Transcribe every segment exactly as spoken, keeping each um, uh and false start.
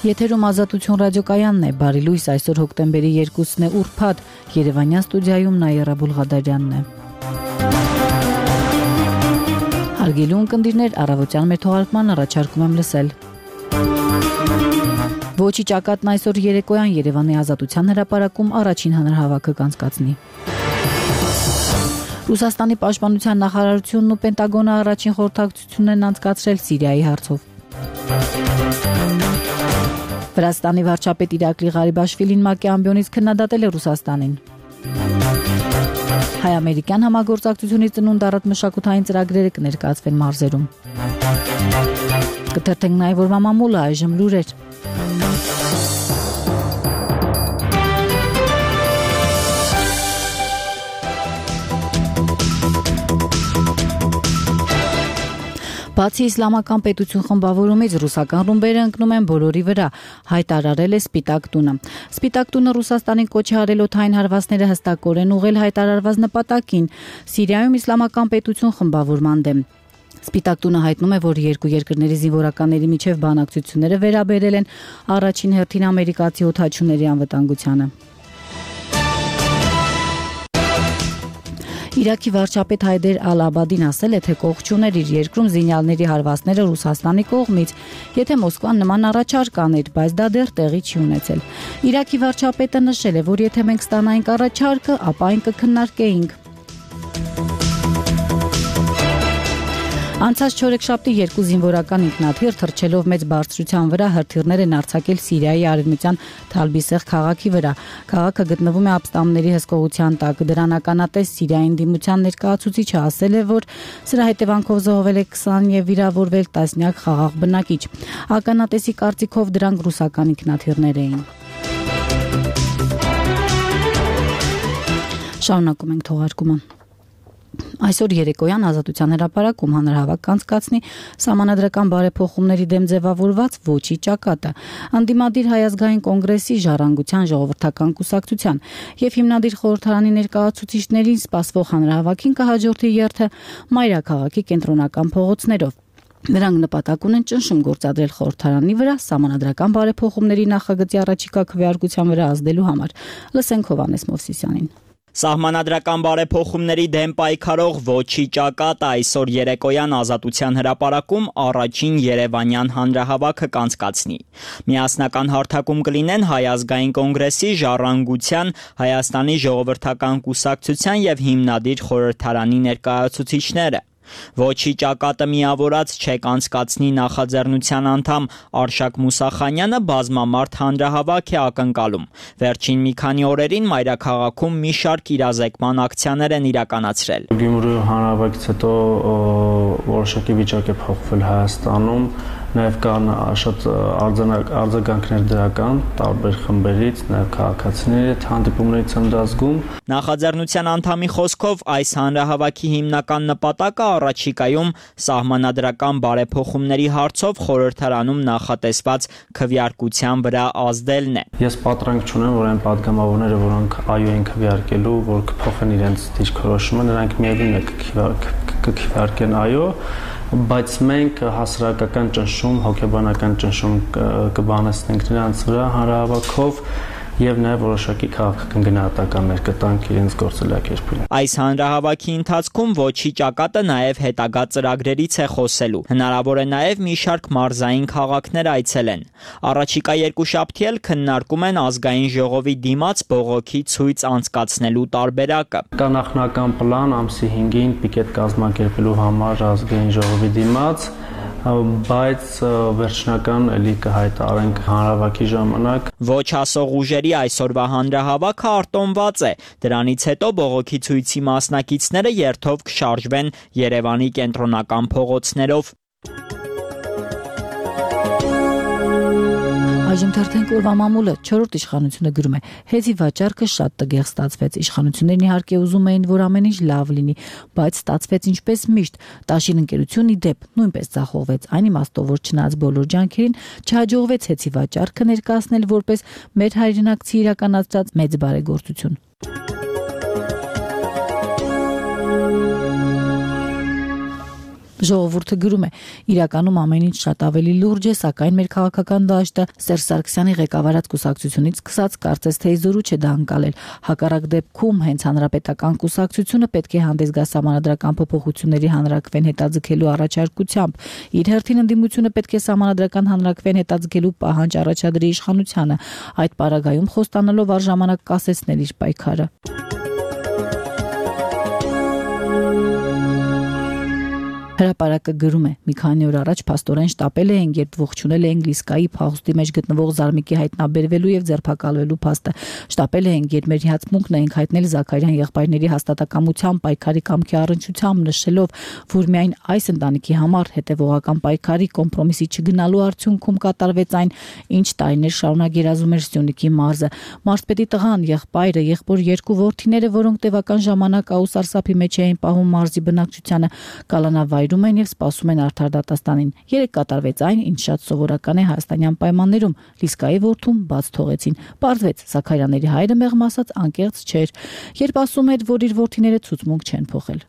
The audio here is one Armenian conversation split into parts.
Եթերում Ազատություն ռադիոկայանն է, բարի լույս, այսօր հոկտեմբերի երկուսն է ուրբաթ, Երևանյան ստուդիայում Նաիրա Բուլղադարյանն է։ Հարգելի ունկնդիրներ, առավոտյան մեր թողարկման առաջարկում եմ լսել։ Ոչի ճակատն այսօր երեկոյան Երևանի Ազատության հրապարակում առաջին հանրահավաքը կանցկացնի։ Ռուսաստանի պաշտպանության նախարարությունն ու Պենտագոնը առաջին խորհրդակցությունն են անցկացրել Սիրիայի հարցով։ Վրաստանի վարչապետ Իրակլի Ղարիբաշվիլին ՄԱԿ-ի ամբիոնից քննադատել է Ռուսաստանին։ Հայ-ամերիկյան համագործակցությունից ծնունդ առած մշակութային ծրագրերը կներկայացվեն մարզերում։ Կթերթենք նաև օրվա մամուլը, այժմ լուրեր։ Բացի իսլամական պետություն խմբավորումից ռուսական ռումբերը ընկնում են բոլորի վրա, հայտարարել է Սպիտակ տունը։ Սպիտակ տունը Ռուսաստանին կոչ է արել օդային հարվածները հստակորեն ուղղել հայտարարված նպատակին՝ Սիրիայում իսլամական պետություն խմբավորման դեմ։ Սպիտակ տունը հայտնում է, որ երկու երկրների զինվորականների միջև բանակցությունները վերաբերել են առաջին հերթին ամերիկացի օդաչուների անվտանգությանը։ Իրաքի վարչապետ Հայդեր Ալ-Աբադին ասել է, թե կողք չուներ իր երկրում զինյալների հարվածները Ռուսաստանի կողմից, եթե Մոսկվան նման առաջարկ աներ, բայց դա դեռ տեղի չի ունեցել։ Իրաքի վարչապետը նշել է, որ եթե մենք ստանայինք առաջարկը, ապա այն կքննարկեինք։ Անցած չորեքշաբթի երկու զինվորական ինքնաթիռ թռչելով մեծ բարձրության վրա հրթիռներ են արձակել Սիրիայի արևմտյան Թալբիսեղ քաղաքի վրա։ Քաղաքը գտնվում է ապստամբների հսկողության տակ։ Դրան ականատես Սիրիայի ընդդիմության ներկայացուցիչը ասել է, որ սրա հետևանքով զոհվել է քսան եւ վիրավորվել տասնյակ խաղաղ բնակիչ։ Ականատեսի կարծիքով դրանք ռուսական ինքնաթիռներ էին։ Շարունակում ենք թողարկումը։ Այսօր երեկոյան Ազատության հրապարակում հանրահավաք կանցկացնի Սահմանադրական բարեփոխումների դեմ ձևավորված ոչի ճակատը, ընդդիմադիր Հայ ազգային կոնգրեսի, Ժառանգության ժողովրդական կուսակցության եւ հիմնադիր խորհրդարանի ներկայացուցիչներին սպասվող հանրահավաքին կհաջորդի երթը Մայրաքաղաքի կենտրոնական փողոցներով։ Նրանք նպատակ ունեն ճնշում գործադրել խորհրդարանի վրա Սահմանադրական բարեփոխումների նախագծի առաջիկա քվեարկության վրա ազդելու համար։ Լսենք Հովհաննես Մովսիսյանին։ Սահմանադրական բարեփոխումների դեմ պայքարող ոչի ճակատը այսօր երեկոյան Ազատության հրապարակում առաջին երևանյան հանրահավաքը կանցկացնի։ Միասնական հարթակում կլինեն Հայ ազգային կոնգրեսի, Ժառանգության, Հայաստանի ժողովրդական կուսակցության եւ հիմնադիր խորհրդարանի ներկայացուցիչները։ Ոչի ճակատը միավորած չեք անցկացնի նախաձեռնության անդամ Արշակ Մուսախանյանը բազմամարդ հանրահավաք է ակնկալում։ Վերջին մի քանի օրերին Մայրաքաղաքում մի շարք իրազեկման ակցիաներ են իրականացրել։ Գյումրու հանրահավաքից հետո որոշակի վիճակ է փոխվել Հայաստանում, նաև կան շատ արձագանքներ դրական տարբեր խմբերից, նաև քաղաքացիների հանդիպումներից եմ դա զգում։ Նախաձեռնության անդամի խոսքով այս հանրահավաքի հիմնական նպատակը առաջիկայում սահմանադրական բարեփոխումների հարցով խորհրդարանում նախատեսված քվեարկության վրա ազդելն է։ Ես պատրանք չունեմ, որ այն падգամավորները, որոնք այո են քվեարկելու, որ կփոխեն իրենց դիրքորոշումը, նրանք միևնույն է կքվեարկեն այո, բայց մենք հասարակական ճնշում, հոգեբանական ճնշում կբանեցնենք նրանց վրա հանրահավաքով եւ նաեւ որոշակի քաղաքական գնահատականներ կտանք իրենց գործելակերպին։ Այս հանրահավաքի ընթացքում ոչի ճակատը նաեւ հետագա ծրագրերից է խոսելու։ Հնարավոր է նաեւ մի շարք մարզային քաղաքներ այցելեն։ Առաջիկա երկուշաբթի էլ քննարկում են ազգային ժողովի դիմաց բողոքի ցույց անցկացնելու տարբերակը։ Կա նախնական պլան ամսի հինգին պիկետ կազմակերպելու համար ազգային ժողովի դիմաց, բայց վերջնական էլի կհայտարարենք հանրահավաքի ժամանակ։ Ոչ ասող ուժերի այսօրվա հանրահավաքը արտոնված է։ Դրանից հետո բողոքի ցույցի մասնակիցները երթով կշարժվեն Երևանի կենտրոնական փողոցներով։ Այժմ թերթենք օրվա մամուլը։ Չորրորդ իշխանությունը գրում է. Հեծի վաճառքը շատ տգեղ ստացվեց։ Իշխանություններն իհարկե ուզում էին, որ ամեն ինչ լավ լինի, բայց ստացվեց ինչպես միշտ։ Տաշին ընկերությունն ի դեպ նույնպես ձախողվեց։ Այն իմաստով, որ չնայած բոլոր ջանքերին չհաջողվեց հեծի վաճառքը ներկայացնել որպես մեր հայրենակցի իրականացրած մեծ բարեգործություն։ Ժողովուրդը գրում է. իրականում ամեն ինչ շատ ավելի լուրջ է, սակայն մեր քաղաքական դաշտը Սերժ Սարգսյանի ղեկավարած կուսակցությունից սկսած կարծես թե իզորու չէ դա անցալել։ Հակառակ դեպքում հենց հանրապետական կուսակցությունը պետք է հանդես գա սահմանադրական փոփոխությունների հանրակրվեն հետաձգելու առաջարկությամբ։ Իր հերթին ընդդիմությունը պետք է սահմանադրական հանրակրվեն հետաձգելու պահանջ առաջադրի իշխանությանը, այդ պարագայում խոստանալով առժամանակ կասեցնել իր պայքարը։ Հրապարակը գրում է. մի քանի օր առաջ փաստորեն շտապել էին, երբ ողջունել էին Լիսկայի փախուստի մեջ գտնվող Զարմիկի հայտնաբերվելու եւ ձերբակալվելու փաստը։ Շտապել էին, երբ մեր հիացմունքն էինք հայտնել Զաքարյան եղբայրների հաստատակամության պայքարի կամքի առնչությամբ, նշելով, որ միայն այս ընտանիքի համար հետևողական պայքարի կոմպրոմիսի չգնալու արդյունքում կատարվեց այն, ինչ տարիներ շարունակ երազում էր Սյունիքի մարզը։ Մարզպետի տղան, եղբայրը, եղբոր երկու որդիները, որոնք տևական ժամանակ աուսարսափի մեջ էին պահում մարզի բնակչությանը, կալանավայր են եւ սպասում են արդար դատաստանին։ Երեք կատարվեց այն, ինչ շատ սովորական է հայաստանյան պայմաններում։ Լիսկայի որդուն բաց թողեցին։ Պարզվեց, Զաքարյանների հայրը մեղմ ասած անկեղծ չէր, երբ ասում էր, որ իր որդիները ցուցմունք չեն փոխել։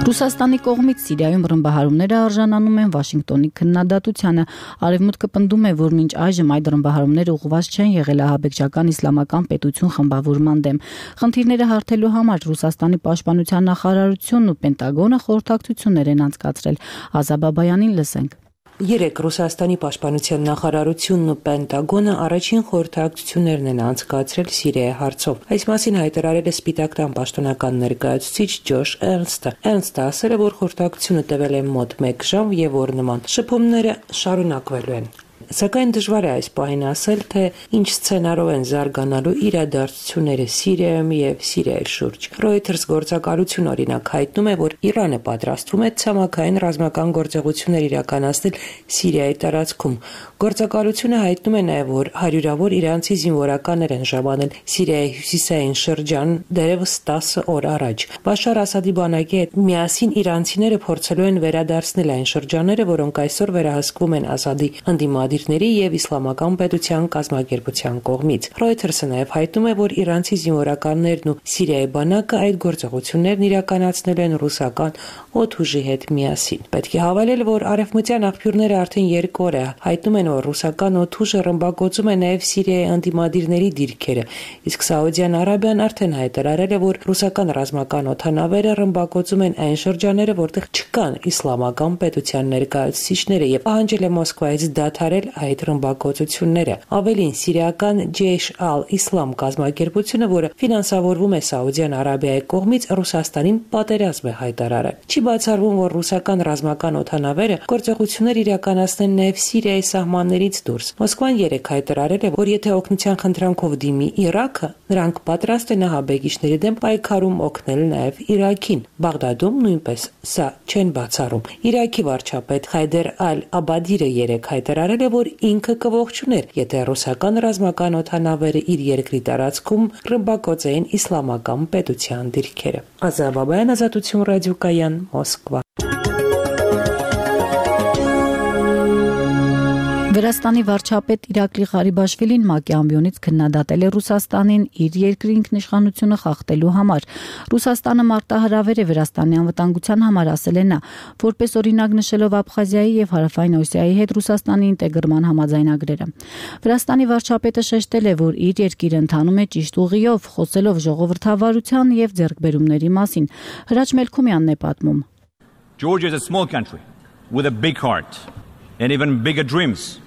Ռուսաստանի կողմից Սիրիայում ռմբահարումները արժանանում են Վաշինգտոնի քննադատությանը։ Արևմուտքը պնդում է, որ մինչ այժմ այդ ռմբահարումները ուղղված չեն եղել ահաբեկչական իսլամական պետություն խմբավորման դեմ։ Խնդիրները հարթելու համար Ռուսաստանի պաշտպանության նախարարությունն ու Պենտագոնը խորհրդակցություններ են անցկացրել։ Ազա Բաբայանին լսենք։ Երեք Ռուսաստանի պաշտպանության նախարարությունն ու Պենտագոնը առաջին խորհրդակցություններն են անցկացրել Սիրիայի հարցով։ Այս մասին հայտարարել է Սպիտակ տան պաշտոնական ներկայացուցիչ Ջոշ Էրնստը։ Էրնստը ասել է, որ խորհրդակցությունը տևել է մոտ մեկ ժամ եւ որ նման շփումները շարունակվելու են։ Սակայն դժվար է այս պահին ասել, թե ինչ սցենարով են զարգանալու իրադարձությունները Սիրիայում եւ Սիրիայի շուրջ։ Reuters գործակալություն օրինակ հայտնում է, որ Իրանը պատրաստվում է ցամաքային ռազմական գործողություններ իրականացնել Սիրիայի տարածքում։ Գործակալությունը հայտնում է նաեւ, որ հարյուրավոր իրանցի զինվորականներ են ժամանել Սիրիայի հյուսիսային շրջան դեռևս տասը օր առաջ։ Բաշար Ասադի բանակի հետ միասին իրանցիները փորձելու են վերադարձնել այն շրջանները, որոնք այսօր վերահսկվում են Ասադի ընդդիմադիր եւ իսլամական պետության կազմակերպության կողմից։ Reuters-ը նաեւ հայտնում է, որ իրանցի զինվորականներն ու Սիրիայի բանակը այդ գործողություններն իրականացնել են ռուսական օդուժի հետ միասին։ Պետք է հավելել, որ արևմտյան աղբյուրները արդեն երկու օր է հայտնում են, որ ռուսական օդուժը ռմբակոծում է նաեւ Սիրիայի ընդդիմադիրների դիրքերը, իսկ Սաուդյան Արաբիան արդեն հայտարարել է, որ ռուսական ռազմական օդանավերը ռմբակոծում են այն շրջանները, որտեղ չկան իսլամական պետության ներկայացուցիչները եւ պահանջել է Մոսկվայից դադարել այդ ռմբակոծությունները։ Ավելին, սիրիական Ջեյշ ալ-Իսլամ կազմակերպությունը, որը ֆինանսավորվում է Սաուդյան Արաբիայի կողմից, Ռուսաստանին պատերազմ է հայտարարել։ Չի բացառվում, որ ռուսական ռազմական օդանավերը գործողություններ իրականացնեն նաև Սիրիայի սահմաններից դուրս։ Մոսկվան երեկ հայտարարել է, որ եթե օգնության խնդրանքով դիմի Իրաքը, նրանք պատրաստ են ահաբեկիչների դեմ պայքարում օգնել նաև Իրաքին։ Բաղդադում նույնպես սա չեն բացառում։ Իրաքի վարչապետ Հայդեր ալ-Աբադիրը երեկ հայտարարել է, որ ինքը կողջուներ, եթե ռուսական ռազմական օդանավերը իր երկրի տարածքում ռմբակոծեին իսլամական պետության դիրքերը։ Ազա Բաբայան, Ազատություն ռադիոկայան, Մոսկվա։ Վրաստանի վարչապետ Իրակլի Ղարիբաշվիլին ՄԱԿ-ի ամբիոնից քննադատել է Ռուսաստանին իր երկրի ինքնիշխանությունը խախտելու համար։ Ռուսաստանը մարտահրավեր է Վրաստանի անվտանգության համար, ասել է նա, որպես օրինակ նշելով Աբխազիայի եւ Հարավային Օսիայի հետ Ռուսաստանի ինտեգրման համաձայնագրերը։ Վրաստանի վարչապետը շեշտել է, որ իր երկիրը ընթանում է ճիշտ ուղիով, խոսելով ժողովրդավարության եւ ձեռքբերումների մասին։ Հրաչ Մելքումյանն է պատմում. Georgia is a small country with a big heart and even bigger dreams.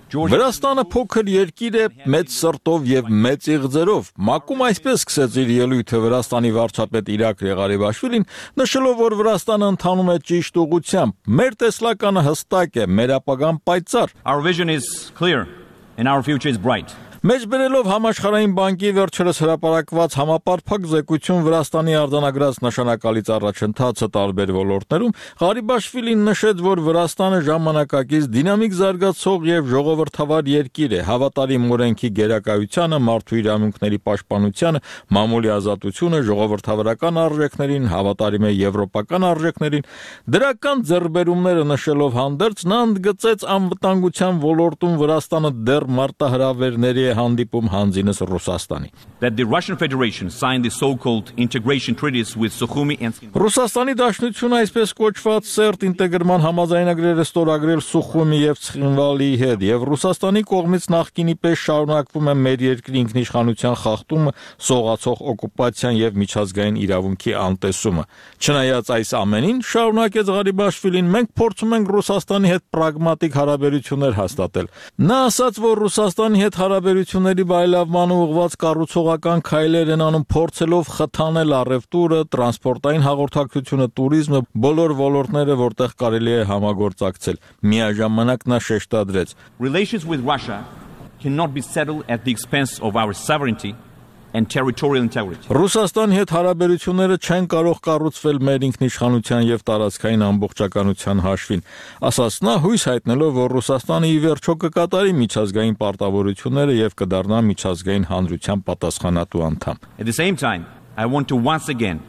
Վրաստանը փոքր երկիր է, մեծ սրտով եւ մեծ իղձերով։ ՄԱԿ-ում այսպես սկսեց իր ելույթը Վրաստանի վարչապետ Իրակլի Ղարիբաշվիլին, նշելով, որ Վրաստանը ընթանում է ճիշտ ուղղությամբ։ Մեր տեսլականը հստակ է, մեր ապագան պայծառ։ Our vision is clear and our future is bright. Մեջբերելով Համաշխարհային բանկի վերջերս հրապարակված համապարփակ զեկույցում Վրաստանի արձանագրած նշանակալից առաջընթացը տարբեր ոլորտներում, Ղարիբաշվիլին նշեց, որ Վրաստանը ժամանակակից դինամիկ զարգացող եւ ժողովրդավար երկիր է, հավատարիմ օրենքի գերակայությանը, մարդու իրավունքների պաշտպանությանը, մամուլի ազատությունը, ժողովրդավարական արժեքներին, հավատարիմ է եվրոպական արժեքներին։ Դրական ձեռքբերումները նշելով հանդերձ նա ընդգծեց անվտանգության ոլորտում Վրաստանը դեռ մարտահրավերների հանդիպում հանձինս Ռուսաստանի։ That the Russian Federation signed the so-called integration treaties with Sukhumi and Ռուսաստանի Դաշնությունը այսպես կոչված սերտ ինտեգրման համաձայնագրերը ստորագրել Սուխումի եւ Ցխինվալի հետ եւ Ռուսաստանի կողմից նախկինի պես շարունակվում է մեր երկրի ինքնիշխանության խախտումը, սողացող օկուպացիան եւ միջազգային իրավունքի անտեսումը։ Չնայած այս ամենին, շարունակեց Ղարիբաշվիլին, մենք փորձում ենք Ռուսաստանի հետ պրագմատիկ հարաբերություններ հաստատել։ Նա ասաց, որ Ռուսաստանի հետ հարաբերությունների բարելավմանը ուղղված կառուցողական քայլեր են անում, փորձելով խթանել առևտուրը, տրանսպորտային հաղորդակցությունը, туриզմը, բոլոր ոլորտները, որտեղ կարելի է համագործակցել։ Միաժամանակ նա շեշտադրեց. Relations with Russia cannot be settled at the expense of our sovereignty and territorial integrity. Ռուսաստանի հետ հարաբերությունները չեն կարող կառուցվել մեր ինքնիշխանության եւ տարածքային ամբողջականության հաշվին, ասաց նա, հույս հայտնելով, որ Ռուսաստանը ի վերջո կկատարի միջազգային պարտավորությունները եւ կդառնա միջազգային հանրության պատասխանատու անդամ։ At the same time, I want to once again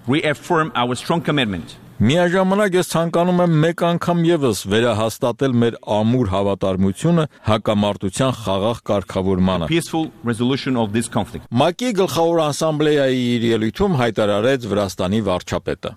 reaffirm our strong commitment Միաժամանակ ես ցանկանում եմ մեկ անգամ եւս վերահաստատել մեր ամուր հավատարմությունը հակամարտության խաղաղ կարգավորմանը։ peaceful resolution of this conflict. ՄԱԿ-ի գլխավոր ասամբլեայի իր ելույթում հայտարարեց Վրաստանի վարչապետը։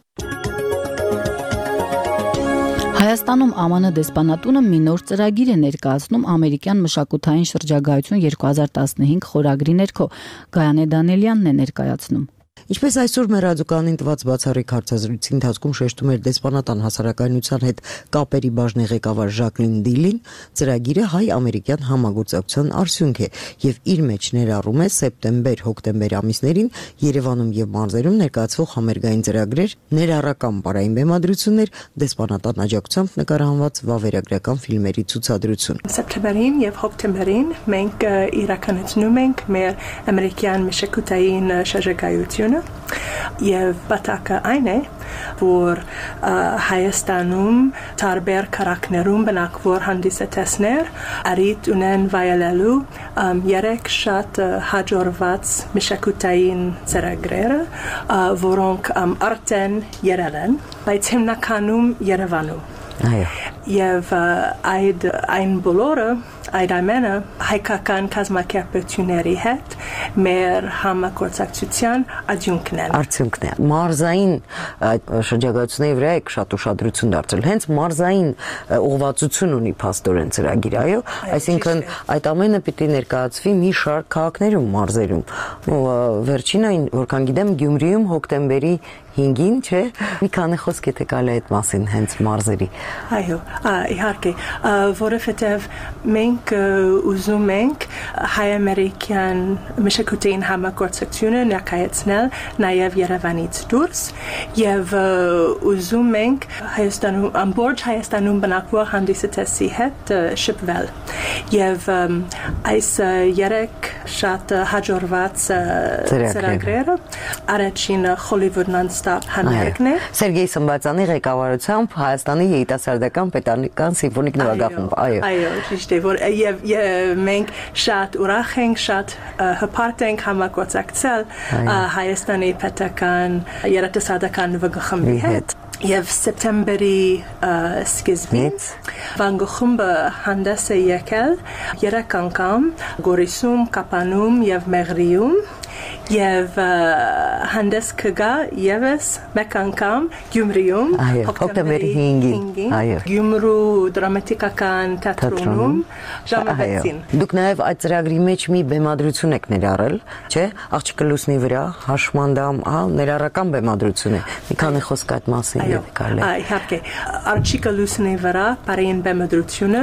Հայաստանում Է Մ Ն դեսպանատունը մի նոր ծրագիր է ներկայացնում ամերիկյան մշակութային շրջագայություն երկու հազար տասնհինգ խորագրի ներքո։ Գայանե Դանելյանն է ներկայացնում։ Ինչպես այսօր մեր ռադիոկայանին տված բացառիկ հարցազրույցի ընթացքում շեշտում էր դեսպանատան հասարակայնության հետ կապերի բաժնի ղեկավար Ժակլին Դիլին, ծրագիրը հայ-ամերիկյան համագործակցության արդյունք է եւ իր մեջ ներառում է սեպտեմբեր-հոկտեմբեր ամիսներին Երևանում եւ մարզերում ներկայացվող համերգային ծրագրեր, ներառական բարային բեմադրություններ, դեսպանատան աջակցությամբ նկարահանված վավերագրական ֆիլմերի ցուցադրություն։ Սեպտեմբերին եւ հոկտեմբերին մենք իրականացնում ենք մեր ամերիկյան մշակութային շրջագայություն Եվ բատակը այն է, որ Հայաստանում տարբեր քարակներում բնակվող հանդիսատեսներ արիտ ունեն վայելելու երեք շատ հաջողված մշակութային ծրագրերը, որոնք արդեն եղել են, բայց հիմնականում Երևանում։ Եվ այդ այն բոլորը այդ ամենը հայկական կազմակերպությունների հետ մեր համագործակցության արդյունքն է։ Արդյունքն է։ Մարզային շրջագայությունների վրա եք շատ ուշադրություն դարձրել։ Հենց մարզային ուղղվածություն ունի փաստորեն ծրագիրը, այո, այսինքն այդ ամենը պիտի ներկայացվի մի շարք քաղաքներում, մարզերում։ Վերջին այն, որքան գիտեմ, Գյումրիում հոկտեմբերի հինգին, չէ՞, մի քանի խոսք եթե կարելի այդ մասին հենց մարզերի։ Այո, իհարկե, որովհետև մենք ուզում ենք հայ-ամերիկյան մշակութային համագործակցությունը ներկայացնել նաև Երևանից դուրս եւ ուզում ենք Հայաստանում, ամբողջ Հայաստանում բնակվող հանդիսատեսի հետ շփվել։ Եվ այս երեք շատ հաջողված ծրագրերը առաջինը Hollywood Non-Stop համերգն է։ Սերգեյ Սմբատյանի ղեկավարությամբ Հայաստանի երիտասարդական պետական սիմֆոնիկ նվագախումբ, այո։ Այո, ճիշտ է, որ եւ մենք շատ ուրախ ենք, շատ հպարտ ենք համագործակցել Հայաստանի պետական երիտասարդական նվագախմբի հետ։ Եվ սեպտեմբերի սկզբին վանգախումբը հանդես է եկել երեք անգամ Գորիսում, Կապանում եւ Մեղրիում եւ հանդես կգա եւս մեկ անգամ Գյումրիում հոկտեմբերի հինգին Գյումրու դրամատիկական թատրոնում ժամը վեցին։ Դուք նաեւ այդ ծրագրի մեջ մի բեմադրություն եք ներառել, չէ՞, Աղջիկը լուսնի վրա, հաշմանդամ, հա, ներառական բեմադրություն է։ Մի քանի խոսք այդ մասին եթե կարելի։ Իհարկե, Աղջիկը լուսնի վրա բարային բեմադրությունը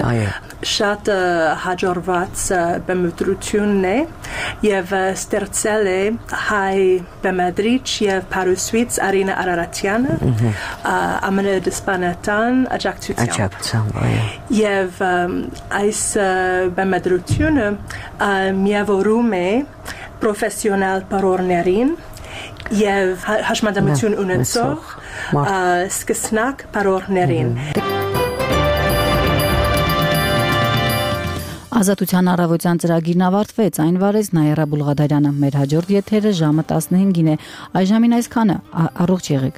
շատ հաջողված բեմադրությունն է եւ ստեղծել է հայ բեմադրիչ եւ փարուսվից Արինա Արարատյանը Է Մ Ն դեսպանատան աջակցությամբ։ Եվ այս բեմադրությունը միավորում է պրոֆեսիոնալ պարողներին եւ հաշմանդամություն ունեցող սկսնակ պարողներին։ Ազատության առավոտյան ծրագիրն ավարտվեց, այն վարեց Նայիրա Բուլղադարյանը։ Մեր հաջորդ եթերը ժամը տասնհինգին է։ Այժմին այսքանը, առողջ եղեք։